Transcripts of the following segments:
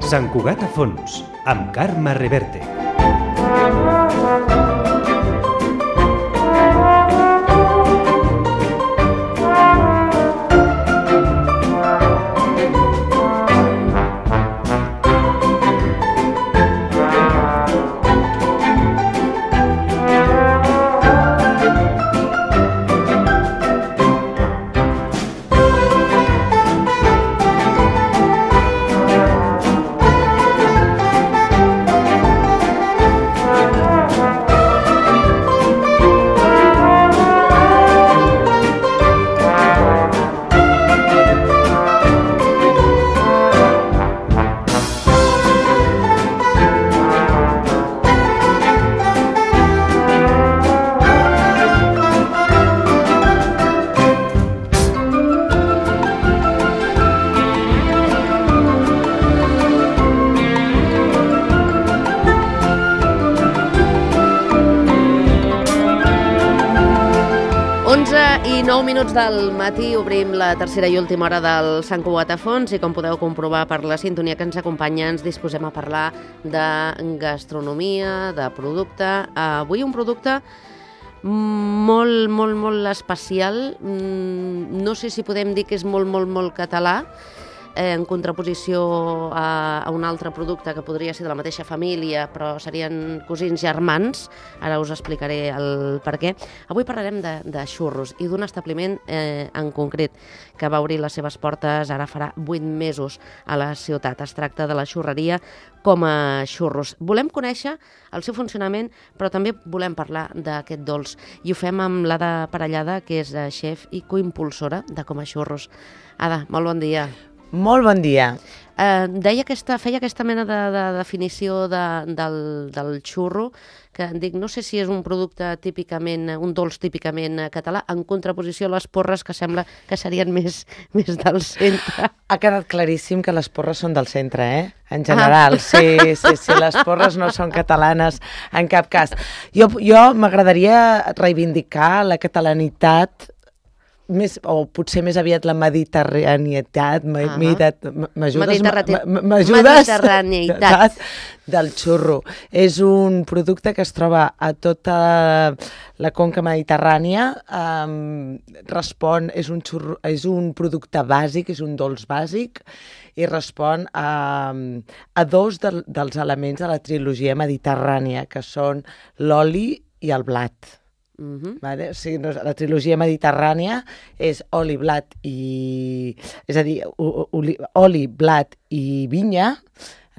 Sant Cugat a fons, amb Carme Reverte. I 9 minuts del matí obrim la tercera i última hora del Sant Cugat a fons i com podeu comprovar per la sintonia que ens acompanya ens disposem a parlar de gastronomia, de producte. Avui un producte molt especial, no sé si podem dir que és molt català, en contraposició a un altre producte que podria ser de la mateixa família, però serien cosins germans. Ara us explicaré el per què. Avui parlarem de xurros i d'un establiment en concret que va obrir les seves portes ara farà 8 mesos a la ciutat. Es tracta de la xurreria Com a Xurros. Volem conèixer el seu funcionament, però també volem parlar d'aquest dolç. I ho fem amb l'Ada Parellada, que és xef i coimpulsora de Com a Xurros. Ada, molt bon dia. Molt bon dia. Feia aquesta mena de definició del xurro, que dic, no sé si és un producte típicament, un dolç típicament català, en contraposició a les porres, que sembla que serien més del centre. Ha quedat claríssim que les porres són del centre, en general. Sí, les porres no són catalanes en cap cas. Jo m'agradaria reivindicar la catalanitat, o potser més aviat la mediterranietat, mediterranietat del xurro. És un producte que es troba a tota la conca mediterrània, és un producte bàsic, és un dolç bàsic, i respon a dos dels elements de la trilogia mediterrània, que són l'oli i el blat. Vale? O sigui, la trilogia mediterrània és oli, blat i... És a dir, oli, blat i vinya.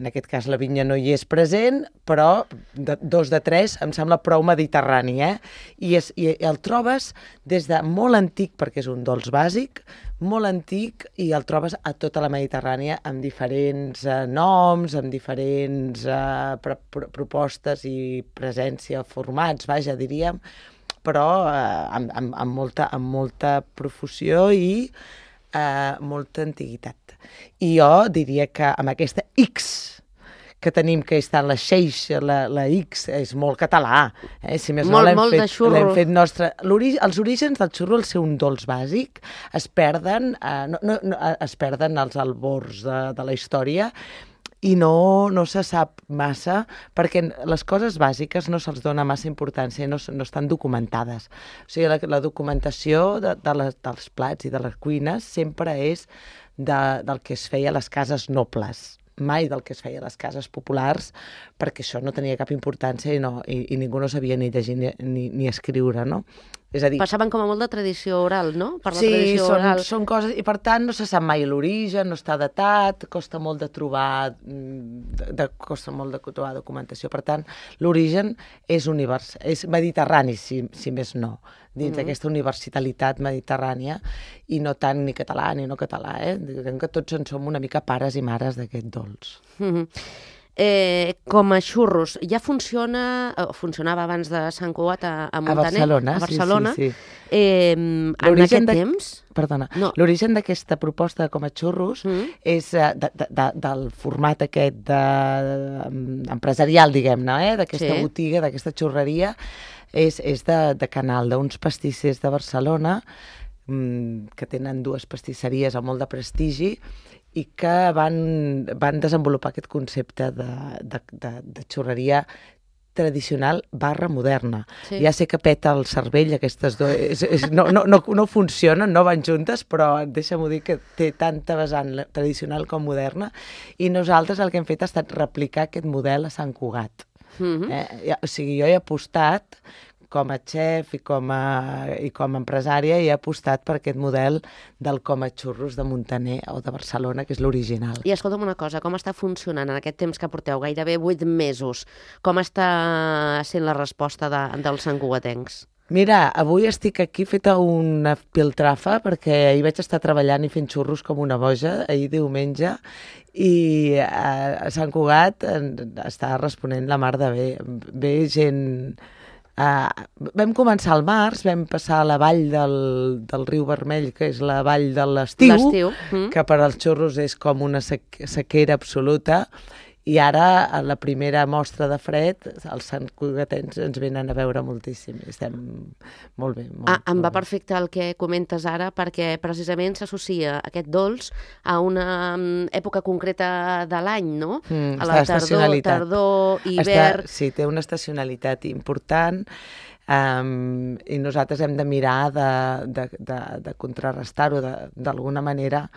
En aquest cas la vinya no hi és present, però 2 de 3 em sembla prou mediterrani, I el trobes des de molt antic, perquè és un dolç bàsic, molt antic, i el trobes a tota la Mediterrània amb diferents noms, amb diferents propostes i presència, formats, diríem, però amb molta profusió i molta antiguitat. I jo diria que amb aquesta X que tenim, que està en la Xeix, la X, és molt català. Si més no, molt de xurro. L'hem fet nostre. Els orígens del xurro, al ser un dolç bàsic, es perden als albors de la història, i no se sap massa, perquè les coses bàsiques no se'ls dona massa importància, no estan documentades. O sigui, la documentació dels plats i de les cuines sempre és del que es feia a les cases nobles, mai del que es feia a les cases populars, perquè això no tenia cap importància i ningú no sabia ni llegir ni escriure, no? És a dir, passaven com a molt de tradició oral, no? Per la tradició oral. Són coses, i per tant no se sap mai l'origen, no està datat, costa molt de trobar documentació. Per tant, l'origen és mediterrani, si més no, dins d'aquesta universalitat mediterrània, i no tant ni català ni no català, Diguem que tots en som una mica pares i mares d'aquest dolç. Com a Xurros, ja funcionava abans de Sant Cugat a Montaner? A Barcelona. Sí. En aquest temps? Perdona, l'origen d'aquesta proposta de Com a Xurros és del format aquest empresarial, diguem-ne, d'aquesta botiga, d'aquesta xurreria, és de Canal, d'uns pastissers de Barcelona, que tenen 2 pastisseries amb molt de prestigi i que van desenvolupar aquest concepte de xurreria tradicional / moderna. Sí. Ja sé que peta el cervell, aquestes dues... No funcionen, no van juntes, però deixa'm-ho dir que té tanta vessant tradicional com moderna, i nosaltres el que hem fet ha estat replicar aquest model a Sant Cugat. O sigui, jo he apostat com a xef i com a empresària, he apostat per aquest model del Coma Xurros de Muntaner o de Barcelona, que és l'original. I escolta'm una cosa, com està funcionant en aquest temps que porteu, gairebé 8 mesos? Com està sent la resposta dels santcugatencs? Mira, avui estic aquí feta una piltrafa perquè ahir vaig estar treballant i fent xurros com una boja, ahir diumenge, i a Sant Cugat està responent la mar de bé. Ve gent... vam començar al març, vam passar a la vall del riu Vermell, que és la vall de l'estiu, que per als xurros és com una sequera absoluta, i ara, a la primera mostra de fred, els santcugatens ens venen a veure moltíssim. Estem molt bé. Em va perfecte el que comentes ara, perquè precisament s'associa aquest dolç a una època concreta de l'any, no? A la tardor, hivern... Sí, té una estacionalitat important, i nosaltres hem de mirar de contrarrestar-ho d'alguna manera,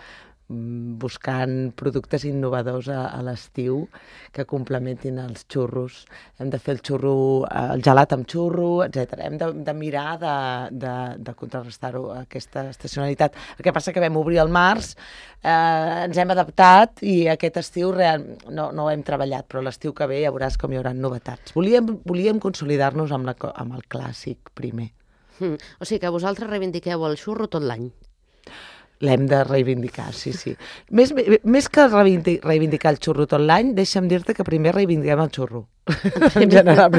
buscant productes innovadors a l'estiu que complementin els xurros. Hem de fer el gelat amb xurro, etc. Hem de mirar de contrarrestar-ho, aquesta estacionalitat. El que passa que vam obrir al març, ens hem adaptat i aquest estiu no ho hem treballat, però l'estiu que ve ja veuràs com hi haurà novetats. Volíem consolidar-nos amb el clàssic primer. O sigui que vosaltres reivindiqueu el xurro tot l'any. L'hem de reivindicar, sí. Més que reivindicar el xurro tot l'any, deixa'm dir-te que primer reivindiquem el xurro. En general,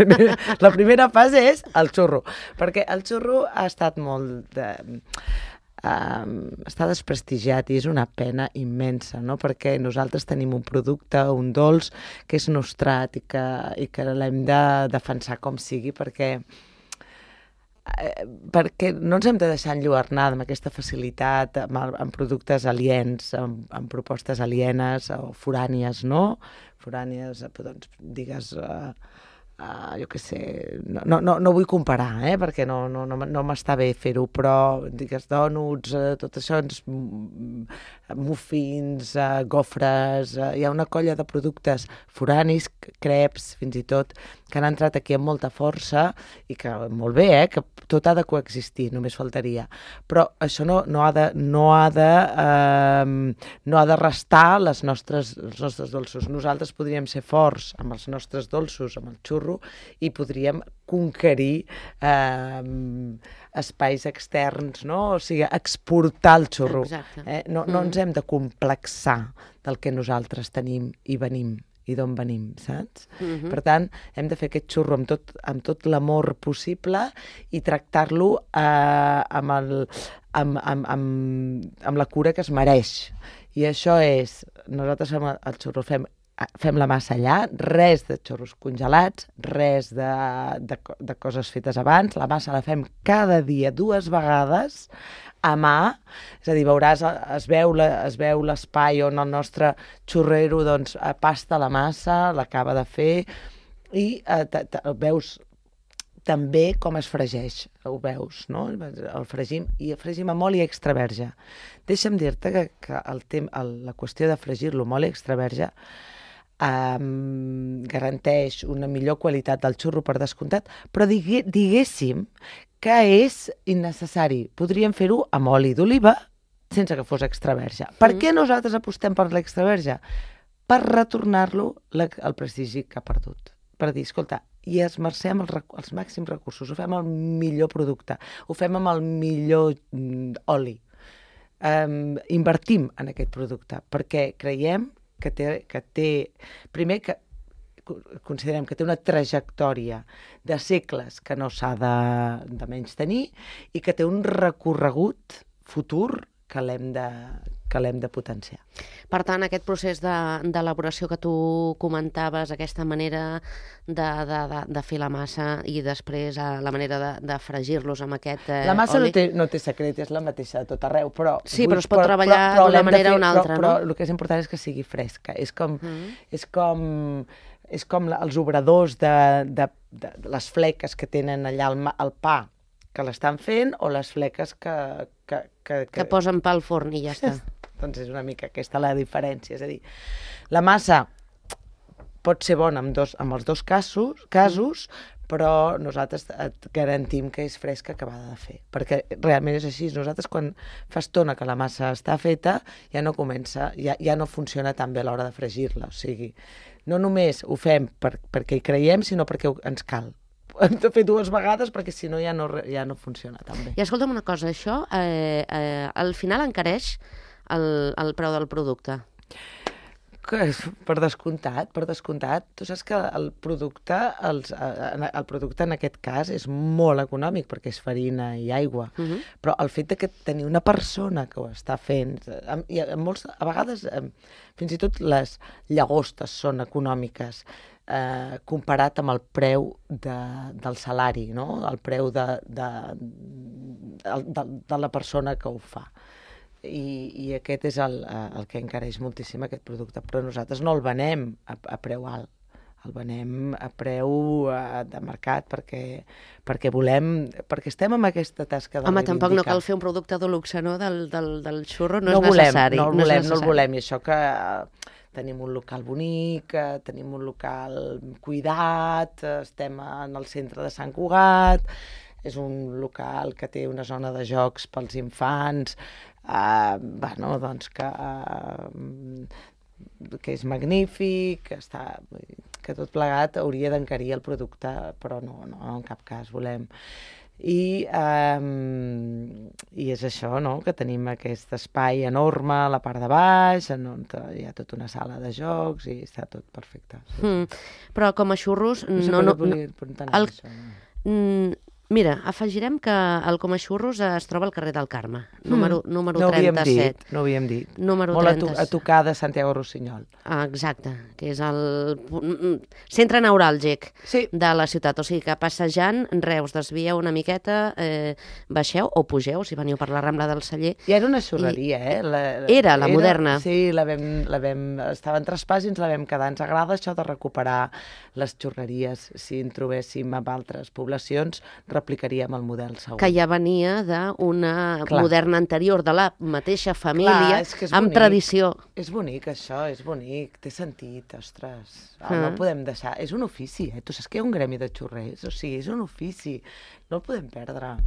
la primera fase és el xurro, perquè el xurro ha estat està desprestigiat i és una pena immensa, no? Perquè nosaltres tenim un producte, un dolç, que és nostrat i que l'hem de defensar com sigui, perquè no ens hem de deixar enlluernar amb aquesta facilitat, amb productes aliens, amb propostes alienes o forànies, no? Forànies, doncs, digues... jo què sé, no vull comparar, perquè no m'està bé fer-ho, però digues dònuts, tot això, muffins, gofres, hi ha una colla de productes foranis, creps, fins i tot, que han entrat aquí amb molta força i que molt bé, que tot ha de coexistir, només faltaria. Però això no ha de restar els nostres dolços. Nosaltres podríem ser forts amb els nostres dolços, amb el xurro, i podríem conquerir espais externs, no? O sigui, exportar el xurro. No ens hem de complexar del que nosaltres tenim i venim i d'on venim, saps? Per tant, hem de fer aquest xurro amb tot l'amor possible i tractar-lo amb la cura que es mereix. I això és, nosaltres fem el xurro, fem la massa allà, res de xurros congelats, res de coses fetes abans, la massa la fem cada dia 2 vegades a mà, és a dir, veuràs, es veu l'espai on el nostre xurrero doncs pasta la massa, l'acaba de fer, i veus també com es fregeix, ho veus, no? El fregim amb oli extra verge. Deixa'm dir-te que la qüestió de fregir-lo amb oli extra verge garanteix una millor qualitat del xurro per descomptat, però diguéssim que és innecessari. Podríem fer-ho amb oli d'oliva sense que fos extra verge. Per què nosaltres apostem per l'extra verge? Per retornar-lo al prestigi que ha perdut. Per dir, escolta, i esmercem els màxims recursos, ho fem el millor producte, ho fem amb el millor oli. Invertim en aquest producte, perquè creiem que té primer que considerem que té una trajectòria de segles que no s'ha de menys tenir i que té un recorregut futur que l'hem que l'hem de potenciar. Per tant, aquest procés d'elaboració que tu comentaves, aquesta manera de fer la massa i després la manera de fregir-los amb aquest La massa oli... no té secret, és la mateixa de tot arreu, però... Sí, però es pot treballar d'una manera o una altra, no? Però el que és important és que sigui fresca. És com els obradors de les fleques que tenen allà al pa que l'estan fent o les fleques que posen pa al forn i ja està. Doncs és una mica aquesta la diferència. És a dir, la massa pot ser bona amb els dos casos, però nosaltres et garantim que és fresca acabada de fer. Perquè realment és així. Nosaltres, quan fa estona que la massa està feta, ja no funciona tan bé a l'hora de fregir-la. O sigui, no només ho fem perquè hi creiem, sinó perquè ens cal. Hem de fer 2 vegades perquè si no ja no funciona tan bé. I escolta'm una cosa, això al final encareix el preu del producte? Per descomptat. Tu saps que el producte en aquest cas és molt econòmic perquè és farina i aigua, però el fet de que tenir una persona que ho està fent, a vegades fins i tot les llagostes són econòmiques comparat amb el preu del salari, no? El preu de la persona que ho fa. I aquest és el que encareix moltíssim aquest producte, però nosaltres no el venem a preu alt, el venem a preu de mercat perquè estem en aquesta tasca de reivindicar. Home, tampoc no cal fer un producte de luxe, no? Del xurro no és necessari. No el volem, i això que tenim un local bonic, tenim un local cuidat, estem en el centre de Sant Cugat, és un local que té una zona de jocs pels infants, que és magnífic, que tot plegat hauria d'encarir el producte, però no, en cap cas volem. I és això, no?, que tenim aquest espai enorme a la part de baix, on hi ha tota una sala de jocs i està tot perfecte. Però com a xurros... Mira, afegirem que el Coma Xurros es troba al carrer del Carme, número 37. No ho havíem dit. Número molt 37. a tocar de Santiago Rossinyol. Exacte, que és el centre neuràlgic de la ciutat. O sigui que passejant, Reus, desvieu una miqueta, baixeu o pugeu, si veniu per la Rambla del Celler. I era una xurreria, Era la moderna. Sí, estava en traspàs i ens la vam quedar. Ens agrada això de recuperar les xurreries. Si en trobéssim en altres poblacions, replicaríem el model segur. Que ja venia d'una moderna anterior, de la mateixa família, amb tradició. És bonic, això, és bonic, té sentit, ostres. No el podem deixar. És un ofici, Tu saps que hi ha un gremi de xurrers? O sigui, és un ofici, no el podem perdre.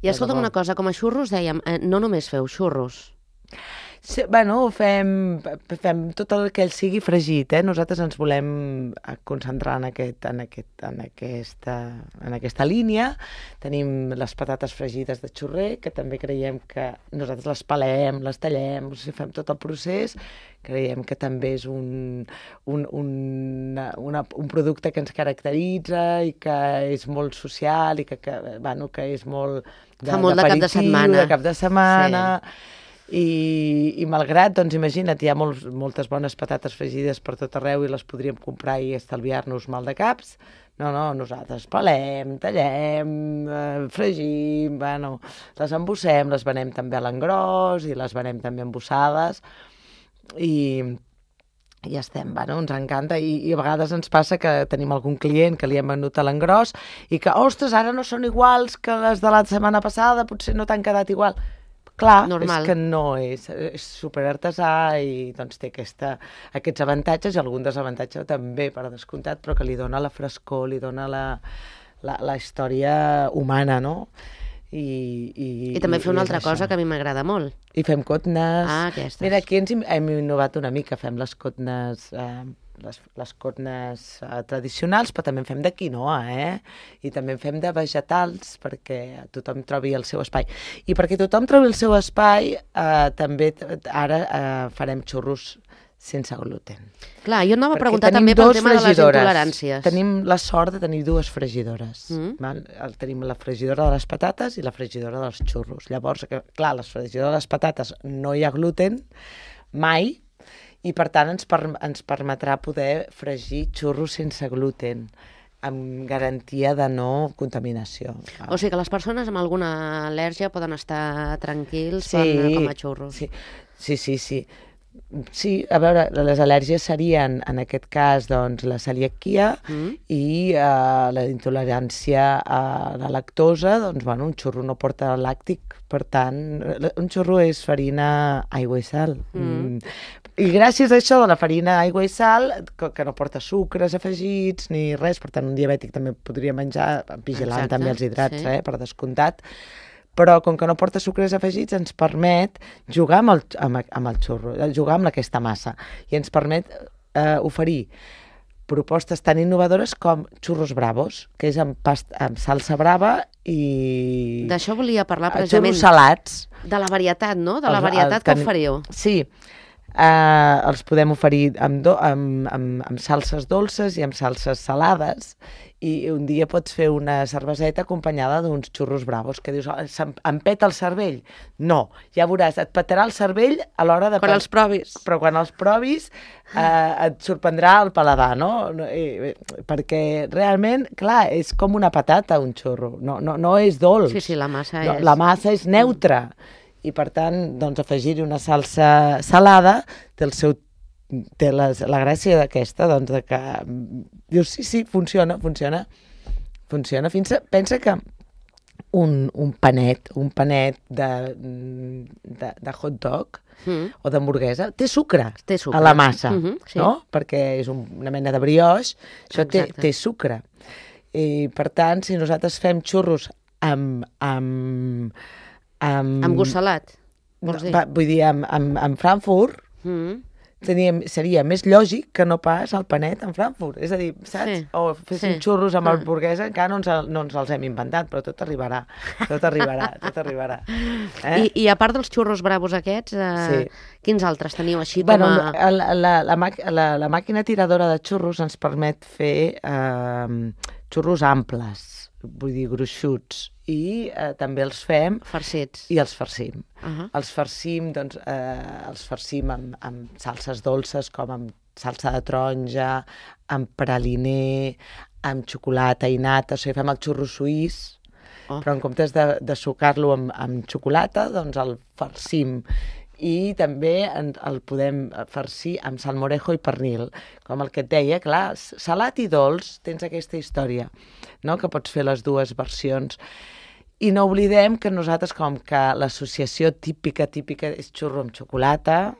I escolta'm una cosa, com a xurros dèiem, no només feu xurros. Sí, fem tot el que sigui fregit, Nosaltres ens volem concentrar en aquesta línia. Tenim les patates fregides de xurrer, que també creiem que nosaltres les pelem, les tallem, fem tot el procés. Creiem que també és un producte que ens caracteritza i que és molt social i que és molt de cap de setmana. I malgrat, doncs imagina't, hi ha moltes bones patates fregides per tot arreu i les podríem comprar i estalviar-nos mal de caps. No, nosaltres pelem, tallem, fregim, les embossem, les venem també a l'engròs i les venem també embossades i ja estem, ens encanta i a vegades ens passa que tenim algun client que li hem venut a l'engròs i que, ostres, ara no són iguals que les de la setmana passada, potser no t'han quedat igual. Clar, normal. És que no és superartesà i doncs té aquests avantatges i algun desavantatge també, per descomptat, però que li dona la frescor, li dona la història humana, no? I també fer una altra cosa que a mi m'agrada molt. I fem cotnes. Aquestes. Mira, aquí hem innovat una mica, fem les cotnes... les cotnes tradicionals, però també en fem de quinoa, I també en fem de vegetals perquè tothom trobi el seu espai. I perquè tothom trobi el seu espai, també ara farem xurros sense gluten. Clar, jo anava a Perquè preguntar tenim també pel dues tema de les fregidores. intoleràncies. Tenim la sort de tenir dues fregidores. Val? Tenim la fregidora de les patates i la fregidora dels xurros. Llavors, clar, la fregidora de les patates no hi ha gluten, mai, i per tant ens permetrà poder fregir xurros sense gluten, amb garantia de no contaminació. O sigui que les persones amb alguna al·lèrgia poden estar tranquils per comer xurros. Sí. Sí, a veure, les al·lèrgies serien, en aquest cas, doncs, la celiaquia i la intolerància a la lactosa, doncs, bueno, un xurro no porta làctic, per tant, un xurro és farina, aigua i sal. I gràcies a això de la farina, aigua i sal, que no porta sucres afegits ni res, per tant, un diabètic també podria menjar, vigilant també els hidrats, per descomptat, però com que no porta sucres afegits ens permet jugar amb el xurro, jugar amb aquesta massa, i ens permet oferir propostes tan innovadores com xurros bravos, que és amb salsa brava i... D'això volia parlar precisament. Xurros salats. De la varietat, no? De la varietat que oferiu. Sí, els podem oferir amb salses dolces i amb salses salades, i un dia pots fer una cerveseta acompanyada d'uns xurros bravos, que dius, em peta el cervell? No, ja veuràs, et petarà el cervell a l'hora de... Quan els provis. Però quan els provis et sorprendrà el paladar, no? Perquè realment, clar, és com una patata un xurro, no és dolç. Sí, la massa és... La massa és neutra, i per tant, doncs, afegir-hi una salsa salada té la gràcia d'aquesta, doncs, de que dius, sí, funciona. Pensa que un panet de hot dog o d'hamburguesa té sucre a la massa, no? Perquè és una mena de brioix, això té sucre. I, per tant, si nosaltres fem xurros amb gust salat, vols dir? Vull dir, amb Frankfurt, seria més lògic que no pas el panet en Frankfurt. És a dir, saps? Sí. O féssim xurros amb hamburguesa, encara no ens els hem inventat, però tot arribarà. I a part dels xurros bravos aquests, quins altres teniu així com a... La màquina tiradora de xurros ens permet fer xurros amples, vull dir, gruixuts, i també els fem... Farcits. I els farcim. Els farcim, doncs, amb salses dolces, com amb salsa de taronja, amb praliner, amb xocolata i nata, o sigui, fem el xurro suís, però en comptes de sucar-lo amb xocolata, doncs el farcim. I també el podem farcir amb salmorejo i pernil, com el que et deia, clar, salat i dolç, tens aquesta història, no?, que pots fer les dues versions. I no oblidem que nosaltres, com que l'associació típica és xurro amb xocolata,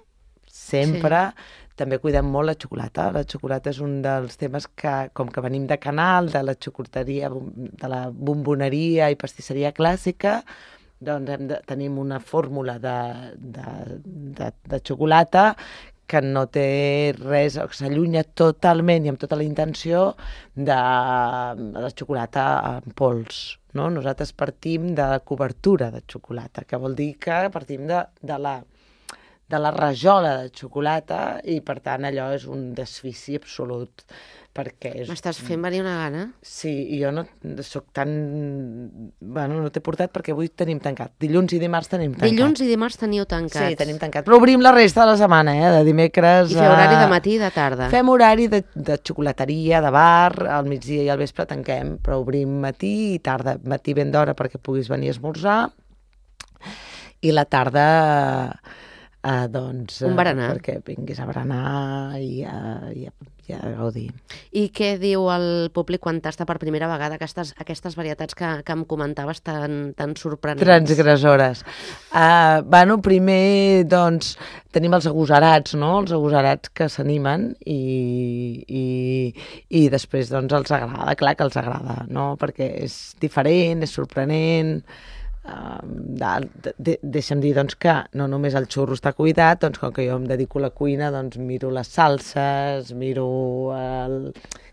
sempre, també cuidem molt la xocolata. La xocolata és un dels temes que, com que venim de Canal, de la xocolateria, de la bomboneria i pastisseria clàssica, doncs tenim una fórmula de xocolata que no té res, s'allunya totalment i amb tota la intenció de la xocolata en pols, no? Nosaltres partim de la cobertura de xocolata, que vol dir que partim de la rajola de xocolata, i per tant allò és un desfici absolut. M'estàs fent venir una gana? Sí, i jo no soc tan... Bueno, no t'he portat perquè avui tenim tancat. Dilluns i dimarts tenim tancat. Dilluns i dimarts teniu tancats. Sí, tenim tancat. Però obrim la resta de la setmana, de dimecres... I feu horari de matí i de tarda. Fem horari de xocolateria, de bar, al migdia i al vespre tanquem, però obrim matí i tarda. Matí ben d'hora perquè puguis venir a esmorzar, i la tarda... doncs... Un berenar. Perquè vinguis a berenar i a gaudir. I què diu el públic quan tasta per primera vegada aquestes varietats que em comentaves tan sorprenents? Transgressores. Primer, doncs, tenim els agosarats, no? Els agosarats que s'animen i després, doncs, els agrada. Clar que els agrada, no? Perquè és diferent, és sorprenent... deixa'm dir, doncs, que no només el xurro està cuidat, doncs, com que jo em dedico a la cuina, doncs miro les salses, miro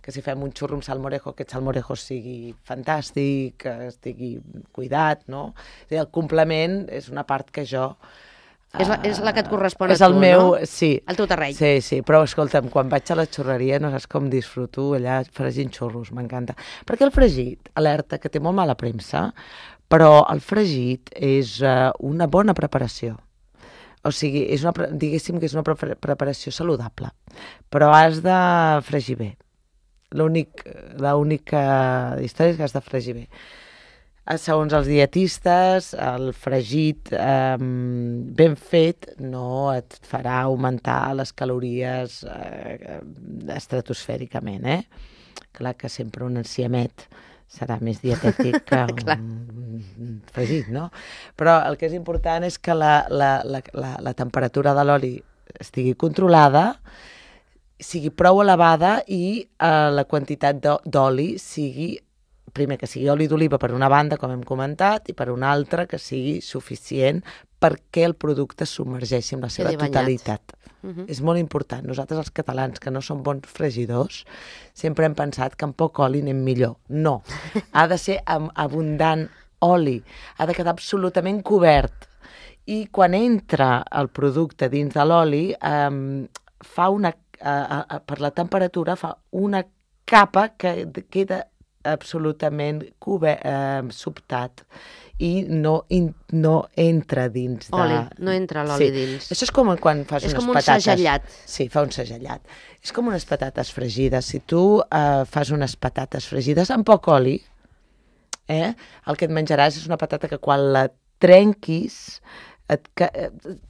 que si fem un xurro amb salmorejo, aquest salmorejo sigui fantàstic, que estigui cuidat, no? És a dir, el complement és una part que jo És la que et correspon a és el tu, meu, no? Sí. El teu terreny. Sí, però escolta'm, quan vaig a la xurreria no saps com disfruto allà fregint xurros, m'encanta. Perquè el fregit, alerta, que té molt mala premsa, però el fregit és una bona preparació. O sigui, diguéssim que és una preparació saludable, però has de fregir bé. L'única història és que has de fregir bé. Segons els dietistes, el fregit ben fet no et farà augmentar les calories estratosfèricament, Clar que sempre un enciamet serà més dietètic que un fregit, no? Però el que és important és que la temperatura de l'oli estigui controlada, sigui prou elevada i la quantitat d'oli sigui, primer que sigui oli d'oliva per una banda, com hem comentat, i per una altra que sigui suficient perquè el producte es submergeixi en la seva totalitat. És molt important. Nosaltres, els catalans, que no som bons fregidors, sempre hem pensat que amb poc oli anem millor. No. Ha de ser amb abundant oli. Ha de quedar absolutament cobert. I quan entra el producte dins de l'oli, per la temperatura, fa una capa que queda absolutament sobtat i no entra dins de... Oli, no entra l'oli dins. Això és com quan fas unes patates. És com un segellat. Sí, fa un segellat. És com unes patates fregides. Si tu fas unes patates fregides amb poc oli, el que et menjaràs és una patata que quan la trenquis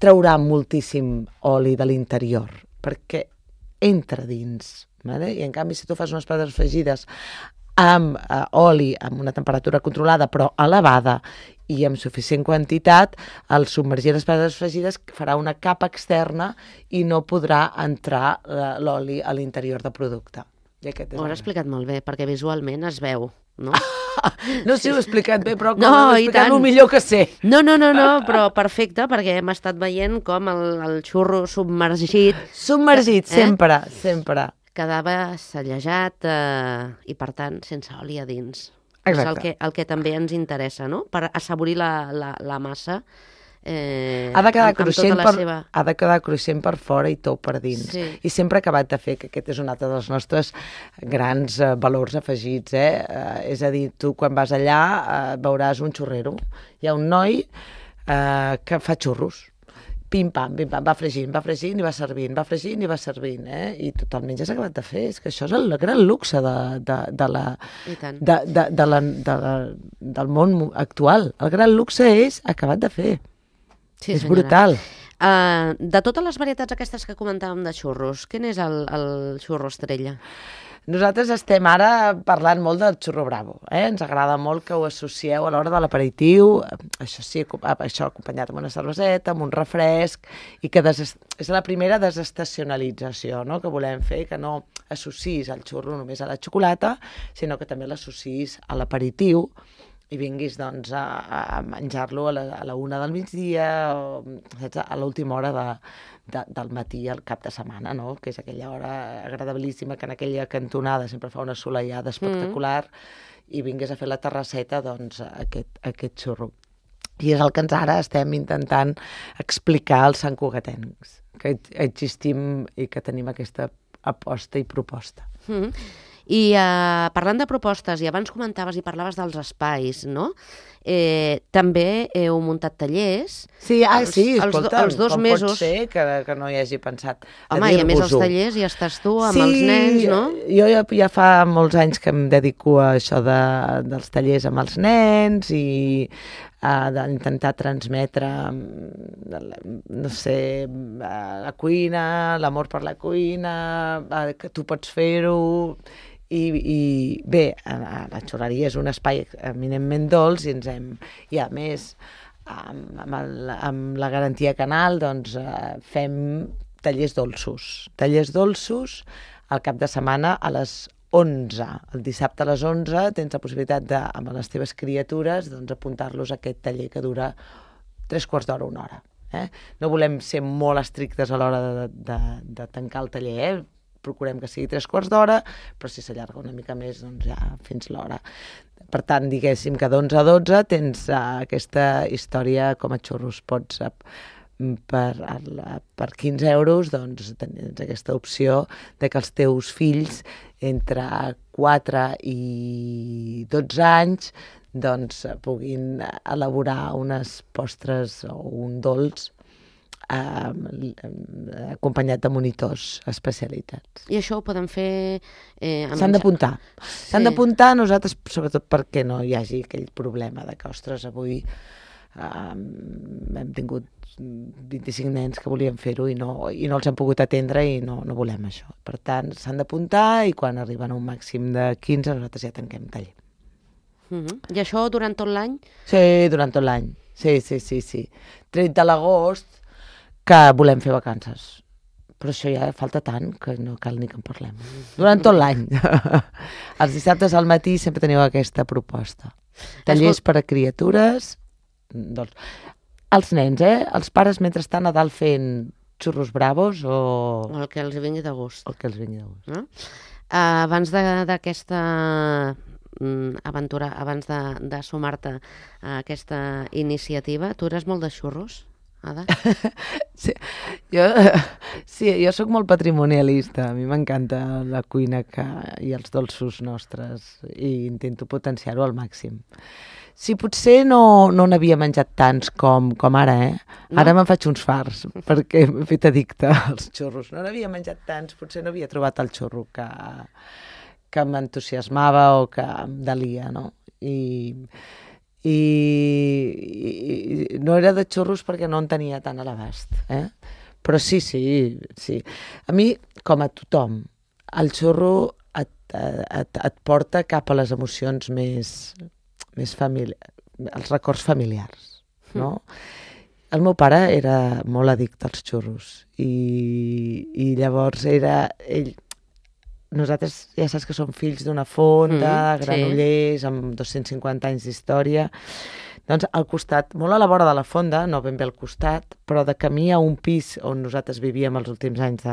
traurà moltíssim oli de l'interior, perquè entra dins. I en canvi, si tu fas unes patates fregides amb oli, amb una temperatura controlada però elevada i amb suficient quantitat, el submergir les patates fregides farà una capa externa i no podrà entrar l'oli a l'interior del producte. Ho has explicat molt bé, perquè visualment es veu, no? No sé si ho he explicat bé, però ho he explicat el millor que sé. No, però perfecte, perquè hem estat veient com el xurro submergit... Submergit, sempre. Quedava sellejat i, per tant, sense oli a dins. Exacte. És el que també ens interessa, no? Per assaborir la massa. Ha de quedar cruixent per fora i tou per dins. Sí. I sempre he acabat de fer, que aquest és un altre dels nostres grans valors afegits. És a dir, tu quan vas allà veuràs un xurrero. Hi ha un noi que fa xurros. Pim-pam, va fregint i va servint, i totalment ja s'ha acabat de fer. És que això és el gran luxe del món actual. El gran luxe és acabat de fer. Sí, és brutal. De totes les varietats aquestes que comentàvem de xurros, quin és el xurro estrella? Nosaltres estem ara parlant molt del xurro bravo. Ens agrada molt que ho associeu a l'hora de l'aperitiu, això sí, això acompanyat amb una cerveseta, amb un refresc, i que és la primera desestacionalització, no?, que volem fer, que no associs el xurro només a la xocolata, sinó que també l'associïs a l'aperitiu, i vinguis doncs, a menjar-lo a la 1 del migdia, o a l'última hora del matí al cap de setmana, no?, que és aquella hora agradabilíssima, que en aquella cantonada sempre fa una assolellada espectacular, i vinguis a fer la terrasseta, doncs, aquest xurro. I és el que ara estem intentant explicar als santcugatencs, que existim i que tenim aquesta aposta i proposta. I parlant de propostes, i abans comentaves i parlaves dels espais, no? També heu muntat tallers. Sí, escolta, els 2 mesos. Pot ser que no hi hagi pensat de dir-vos-ho. Home, i a més els tallers ja estàs tu amb els nens, no? Jo ja fa molts anys que em dedico a això dels tallers amb els nens i d'intentar transmetre, no sé, la cuina, l'amor per la cuina, que tu pots fer-ho. I bé, la xurreria és un espai eminentment dolç i a més amb la garantia Canal doncs fem tallers dolços al cap de setmana a les 11. El dissabte a les 11 tens la possibilitat amb les teves criatures apuntar-los a aquest taller que dura 3/4 d'hora, 1 hora. No volem ser molt estrictes a l'hora de tancar el taller, procurem que sigui 3/4 d'hora, però si s'allarga una mica més, doncs ja fins l'hora. Per tant, diguéssim que d'11 a 12 tens aquesta història com a xurros. Pots per 15 euros doncs, tens aquesta opció de que els teus fills entre 4 i 12 anys doncs, puguin elaborar unes postres o un dolç acompanyat de monitors especialitats. I això ho podem fer... S'han d'apuntar. S'han d'apuntar nosaltres, sobretot perquè no hi hagi aquell problema de que, ostres, avui hem tingut 25 nens que volien fer-ho i no els hem pogut atendre i no volem això. Per tant, s'han d'apuntar i quan arriben a un màxim de 15 nosaltres ja tanquem taller. I això durant tot l'any? Sí, durant tot l'any. Sí. Tret de l'agost, que volem fer vacances. Però això ja falta tant que no cal ni que en parlem. Durant tot l'any. Els dissabtes al matí sempre teniu aquesta proposta. Tallers per a criatures. Doncs, els nens, els pares mentrestant a dalt fent xurros bravos o... El que els vingui de gust. El que els vingui de gust. Abans d'aquesta aventura, abans de sumar-te a aquesta iniciativa, tu eres molt de xurros, Ada? Sí, jo sóc molt patrimonialista. A mi m'encanta la cuina i els dolços nostres i intento potenciar-ho al màxim. Sí, potser no n'havia menjat tants com ara, No? Ara me'n faig uns farts, perquè m'he fet addicte als xurros. No n'havia menjat tants, potser no havia trobat el xurro que m'entusiasmava o que em delia, no? I no era de xurros perquè no en tenia tant a l'abast, Però sí. A mi, com a tothom, el xurro et porta cap a les emocions més familiars, els records familiars, no? El meu pare era molt addicte als xurros i llavors nosaltres ja saps que som fills d'una fonda, Granollers, amb 250 anys d'història. Doncs al costat, molt a la vora de la fonda, no ben bé al costat, però de camí a un pis on nosaltres vivíem els últims anys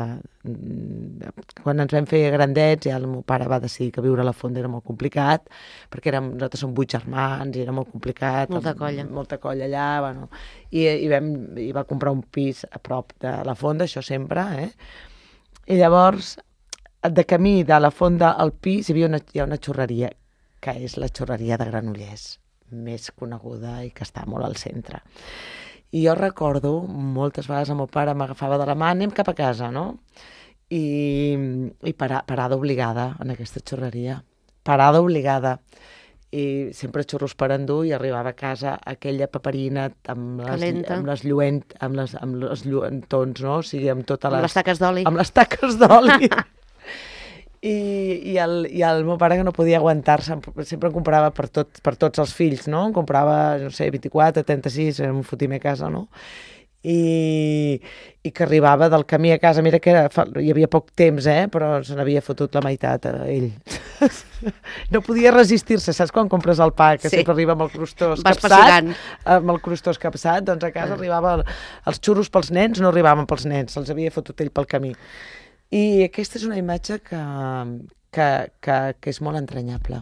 quan ens vam fer grandets, ja el meu pare va decidir que viure a la fonda era molt complicat, perquè nosaltres som 8 germans i era molt complicat. Molta colla allà, bueno. I va comprar un pis a prop de la fonda, això sempre, I llavors, de camí de la fonda al pis hi ha una xurreria, que és la xurreria de Granollers, més coneguda i que està molt al centre. I jo recordo, moltes vegades el meu pare m'agafava de la mà, anem cap a casa, no? I parada obligada en aquesta xurreria. Parada obligada. I sempre xurros per endur i arribava a casa aquella paperina amb les lluentons, no? O sigui, amb totes les... Amb les taques d'oli. Amb les taques d'oli. I el meu pare, que no podia aguantar-se, sempre en comprava per tots els fills, no? En comprava, no sé, 24, 36, era un fotimer a casa, no? I que arribava del camí a casa, mira que hi havia poc temps, però se n'havia fotut la meitat a ell. No podia resistir-se, saps quan compres el pa, que sempre arriba amb el crostó escapçat? Amb el crostó escapçat, doncs a casa arribava els xurros pels nens, no arribaven pels nens, se'ls havia fotut ell pel camí. I aquesta és una imatge que és molt entranyable,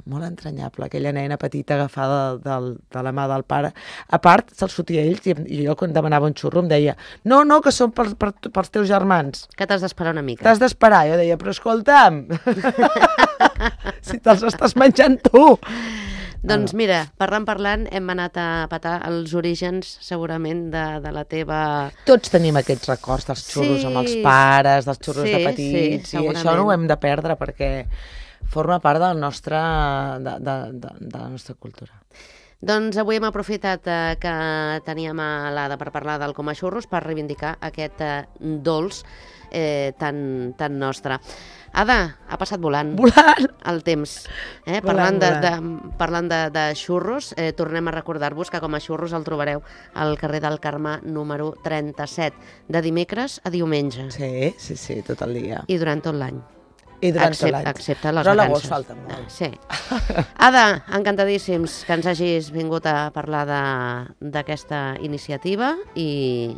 aquella nena petita agafada de la mà del pare. A part, se'ls fotia a ells i jo quan demanava un xurro em deia no, que són pels teus germans. Que t'has d'esperar una mica. T'has d'esperar, jo deia, però escolta'm, si te'ls estàs menjant tu. Doncs mira, parlant, hem anat a petar els orígens, segurament, de la teva... Tots tenim aquests records dels xurros amb els pares, dels xurros de petits, i això no ho hem de perdre perquè forma part de la nostra cultura. Doncs avui hem aprofitat que teníem a l'Ada per parlar del Coma Xurros per reivindicar aquest dolç tan nostre. Ada, ha passat volant el temps. Parlant de xurros, tornem a recordar-vos que Com a Xurros el trobareu al carrer del Carme número 37, de dimecres a diumenge. Sí, tot el dia. I durant tot l'any. Excepte les vacances. Però a l'agost falta molt. Sí. Ada, encantadíssims que ens hagis vingut a parlar d'aquesta iniciativa i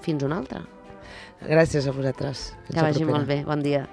fins una altra. Gràcies a vosaltres. Que vagi molt bé. Bon dia.